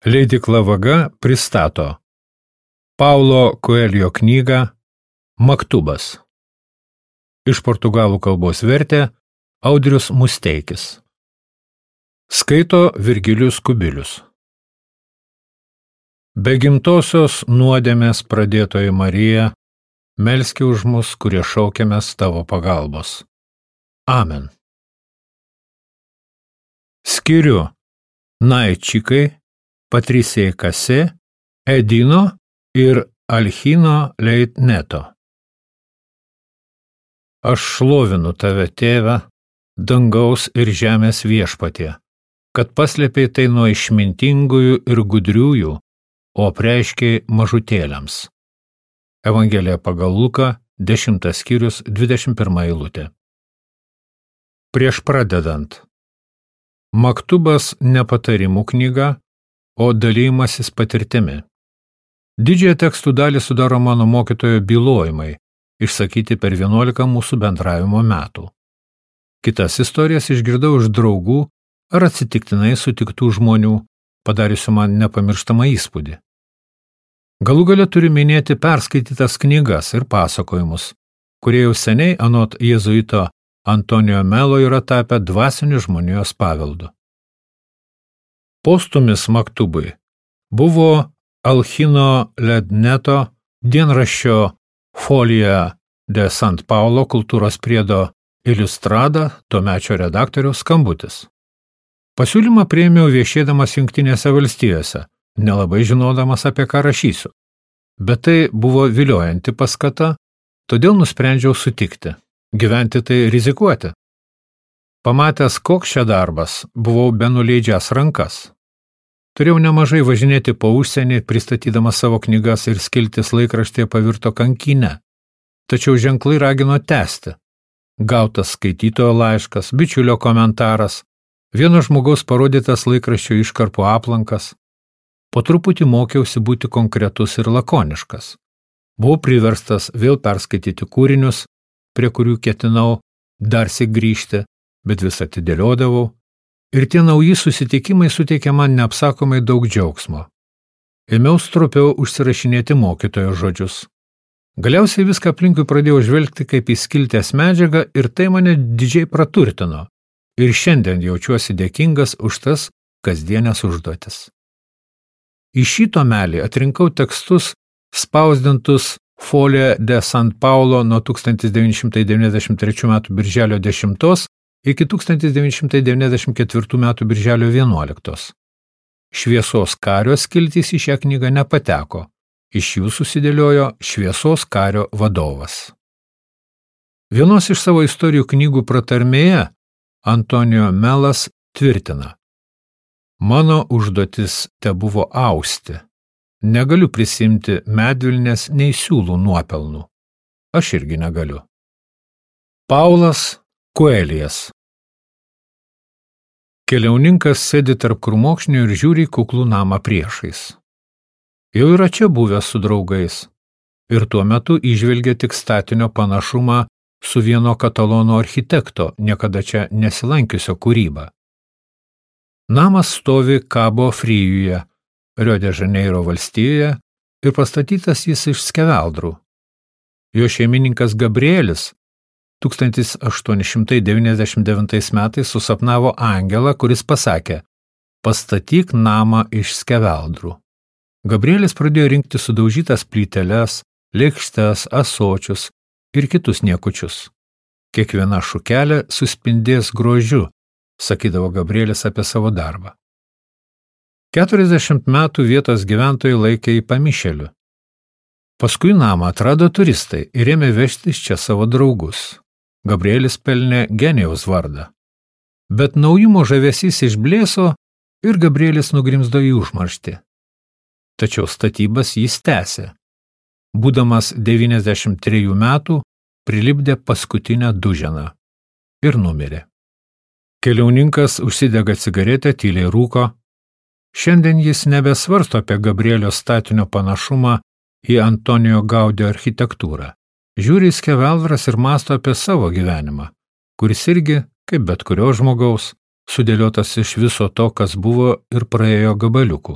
Leidykla Vaga pristato Paulo Coelho knygą Maktubas. Iš portugalų kalbos vertė Audrius Musteikis. Skaito Virgilijus Kubilius. Be gimtosios nuodėmės pradėtoji Marija, melski už mus, kurie šaukiamės tavo pagalbos. Amen. Skiriu Naičikai, Patricijai Kase, Edino ir Alchino Leitneto. Aš šlovinu tave, tėve, dangaus ir žemės viešpatie, kad paslėpei tai nuo išmintingųjų ir gudriųjų, o apreiškei mažutėliams. Evangelija pagal Luką, 10 skyrius, 21 eilutė. Prieš pradedant. Maktubas ne patarimų knyga, o dalymasis patirtimi. Didžiąją tekstų dalį sudaro mano mokytojo bylojimai, išsakyti per 11 mūsų bendravimo metų. Kitas istorijas išgirdau iš draugų ar atsitiktinai sutiktų žmonių, padariusių man nepamirštamą įspūdį. Galų gale turiu minėti perskaitytas knygas ir pasakojimus, kurie jau seniai anot jėzuito Antonijo Melo yra tapę dvasiniu žmonijos paveldu. Postumis maktubui buvo Alchino Leitneto dienraščio Folija de Sant Paulo kultūros priedo Iliustrada tuomečio redaktoriaus skambutis. Pasiūlymą priėmiau viešėdamas Jungtinėse valstijose, nelabai žinodamas, apie ką rašysiu. Bet tai buvo viliojanti paskata, todėl nusprendžiau sutikti. Gyventi tai rizikuoti. Pamatęs, koks čia darbas, buvau benuleidžiąs rankas. Turėjau nemažai važinėti po užsienį, pristatydamas savo knygas ir skiltis laikraštėje pavirto kankyne. Tačiau ženklai ragino tęsti. Gautas skaitytojo laiškas, bičiulio komentaras, vieno žmogaus parodytas laikraščio iškarpų aplankas. Po truputį mokiausi būti konkretus ir lakoniškas. Buvau priverstas vėl perskaityti kūrinius, prie kurių ketinau darsyk grįžti, bet vis atidėliodavau, ir tie nauji susitikimai suteikė man neapsakomai daug džiaugsmo. Ėmiau stropiau užsirašinėti mokytojo žodžius. Galiausiai viską aplinkui pradėjau žvelgti kaip į skiltės medžiagą ir tai mane didžiai praturtino. Ir šiandien jaučiuosi dėkingas už tas kasdienės užduotis. Į šį tomelį atrinkau tekstus spausdintus Folija de Sant Paulo nuo 1993 m. birželio 10 iki 1994 m. birželio 11. Šviesos kario skiltys į šią knygą nepateko. Iš jų susidėliojo Šviesos kario vadovas. Vienos iš savo istorijų knygų pratarmėje Antonijo Melas tvirtina: Mano užduotis tebuvo austi. Negaliu prisimti medvilnės nei siūlų nuopelnų. Aš irgi negaliu. Paulas Coelijas. Keliauninkas sėdi tarp krūmokšnių ir žiūri kuklų namą priešais. Jau yra čia buvęs su draugais ir tuo metu įžvelgia tik statinio panašumą su vieno katalonų architekto, niekada čia nesilankiusio kūryba. Namas stovi Kabo Frijuje, Rio de Žaneiro valstijoje ir pastatytas jis iš skeveldrų. Jo šeimininkas Gabrielis 1899 metais susapnavo angelą, kuris pasakė: pastatyk namą iš skeveldrų. Gabrielis pradėjo rinkti sudaužytas plyteles, lėkštes, ąsočius ir kitus niekučius. Kiekviena šukelė suspindės grožiu, sakydavo Gabrielis apie savo darbą. 40 metų vietos gyventojai laikė jį pamišėliu. Paskui namą atrado turistai ir ėmė vežtis čia savo draugus. Gabrielis pelnė genijaus vardą. Bet naujumo žavesys išblėso ir Gabrielis nugrimzdo į užmarštį. Tačiau statybas jis tęsė. Būdamas 93 metų, prilipdė paskutinę duženą ir numirė. Keliauninkas užsidega cigaretę, tyliai rūko. Šiandien jis nebesvarsto apie Gabrielio statinio panašumą į Antonijo Gaudio architektūrą. Žiūri į skeveldras ir mąsto apie savo gyvenimą, kuris irgi, kaip bet kurio žmogaus, sudėliotas iš viso to, kas buvo ir praėjo gabaliukų.